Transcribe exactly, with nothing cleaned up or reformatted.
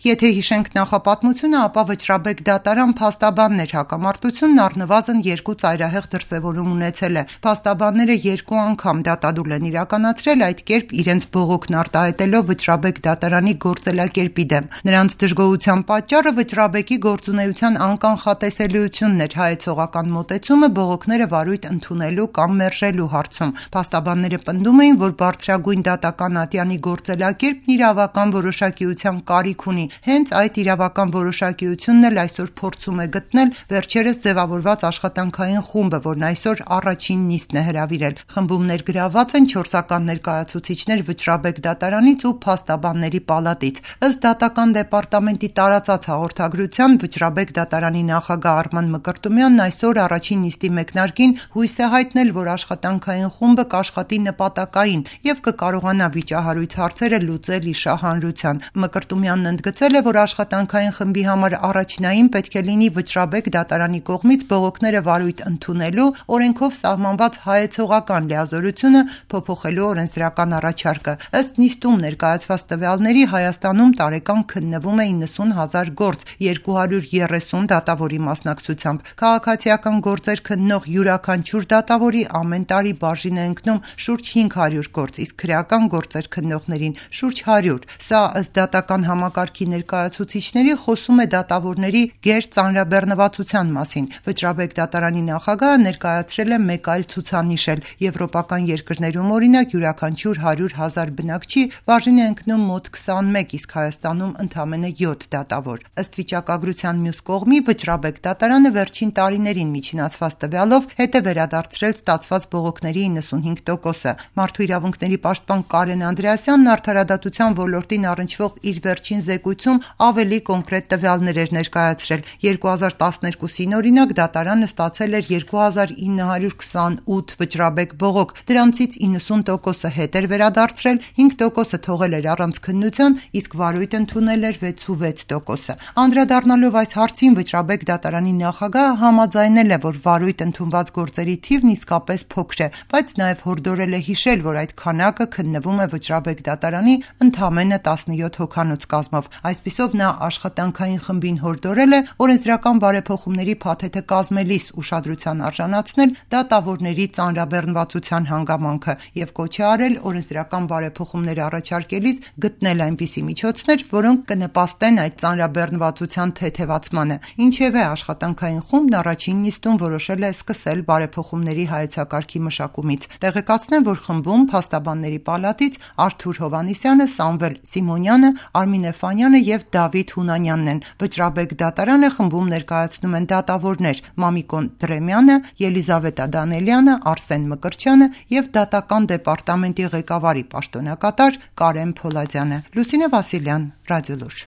Եթե հիշենք նախապատմությունը, ապա Վճռաբեկ դատարան փաստաբաններ հակամարտությունն առնվազն երկու ծայրահեղ դրսևորում ունեցել է։ Փաստաբանները երկու անգամ դատադուլ են իրականացրել, այդ կերպ իրենց բողոքն արտահայտելով Վճռաբեկ դատարանի գործելակերպի դեմ։ Նրանց դժգոհության պատճառը Վճռաբեկի գործունեության անկանխատեսելիությունն էր, հայեցողական մոտեցումը բողոքները վարույթ ընդունելու կամ մերժելու հարցում։ Փաստաբանները պնդում էին, որ բարձրագույն դատական ատյանի գործելակերպն իրավական որոշակիության կարիք ունի։ Հենց այդ իրավական որոշակիությունն էլ այսօր փորձում է գտնել վերջերս ձևավորված աշխատանքային խումբը, որն այսօր առաջին նիստն է հրավիրել։ Խմբում ներգրավված են չորսական ներկայացուցիչներ Վճռաբեկ դատարանից ու փաստաբանների պալատից։ Ըստ դատական դեպարտամենտի տարածած հաղորդագրության, Վճռաբեկ դատարանի նախագահ Արման Մկրտումյանն այսօր առաջին նիստի մեկնարկին հույս է հայտնել, որ աշխատանքային խումբը կաշխատի նպատակային եւ կկարողանա վիճահարույց հարցերը լուծել ի շահանրության։ Մկրտումյանն ընդգծել է, որ աշխատանքային խմբի համար առաջնային պետք է լինի Վճռաբեկ դատարանի կողմից բողոքները վարույթ ընդունելու, օրենքով սահմանված հայեցողական լիազորությունը փոփոխելու օրենսդրական առաջարկը։ Ըստ նիստում ներկայացված տվյալների, Հայաստանում տարեկան քննվում է իննսուն հազար գործ, երկու հարյուր երեսուն դատավորի մասնակցությամբ։ Քաղաքացիական գործեր քննող յուրաքանչյուր դատավորի ամեն տարի բաժին է ընկնում շուրջ հինգ հարյուր գործ, իսկ քրեական գործեր քննողներին շուրջ հարյուր։ Սա ըստ դատական համակարգի ներկայացուցիչների խոսում է դատավորների գերծանրաբեռնվածության մասին։ Վճռաբեկ դատարանի նախագահը ներկայացրել է մեկ այլ ցուցանիշ էլ։ Եվրոպական երկրներում օրինակ յուրաքանչյուր հարյուր հազար բնակչի բաժին է ընկնում մոտ քսանմեկ, իսկ Հայաստանում ընդամենը յոթ դատավոր։ Ըստ վիճակագրության մյուս կողմի, Վճռաբեկ դատարանը վերջին տարիներին միջինացված տվյալով հետ է վերադարձրել ստացված բողոքների իննսունհինգ տոկոսը։ Մարդու իրավունքների պաշտպան Կարեն Անդրեասյանն արդարադատության ոլորտին առնչվող իր վերջին զեկույցում ավելի կոնկրետ տվյալներ էր ներկայացրել։ երկու հազար տասներկուսին օրինակ դատարանը ստացել էր երկու հազար ինը հարյուր քսանութ Վճռաբեկ բողոք, դրանցից իննսուն տոկոսը հետ էր վերադարձրել, հինգ տոկոսը թողել էր առանց քննության, իսկ վարույթ ընդունել էր վեցուվեց տոկոսը։ Անդրադառնալով այս հարցին, Վճռաբեկ դատարանի նախագահը համաձայնել է, որ վարույթ ընդունված գործերի թիվն իսկապես փոքր է, բայց նաև հորդորել է հիշել, որ այդ քանակը քննվում է Վճռաբեկ դատարանի ընդամենը տասնյոթ հոգանոց կազմով։ Այսպիսով նա աշխատանքային խմբին հորդորել է օրենսդրական բարեփոխումների փաթեթը կազմելիս ուշադրության արժանացնել դատավորների ծանրաբեռնվածության հանգամանքը եւ կոչ է արել օրենսդրական բարեփոխումներ առաջարկելիս գտնել այնպիսի միջոցներ, որոնք կնպաստեն այդ ծանրաբեռնվածության թեթևացմանը։ Ինչևէ, աշխատանքային խումբն առաջին նիստում որոշել է սկսել բարեփոխումների հայեցակարգի մշակումից։ Տեղեկացնեմ, որ խմբում փաստաբանների պալատից Արթուր Հովհաննիսյանը, Սամվել Սիմոնյանը, Արմին Էֆանյանը եւ Դավիթ Հունանյանն են։ Վճռաբեկ դատարանը խմբում ներկայացնում են դատավորներ Մամիկոն Դրեմյանը, Ելիզավետա Դանելյանը, Արսեն Մկրտչյանը եւ դատական դեպարտամենտի ղեկավարի պաշտոնակատար Կարեն Փոլադյանը։ Լուսինե Վասիլյան, Ռադիոլուր։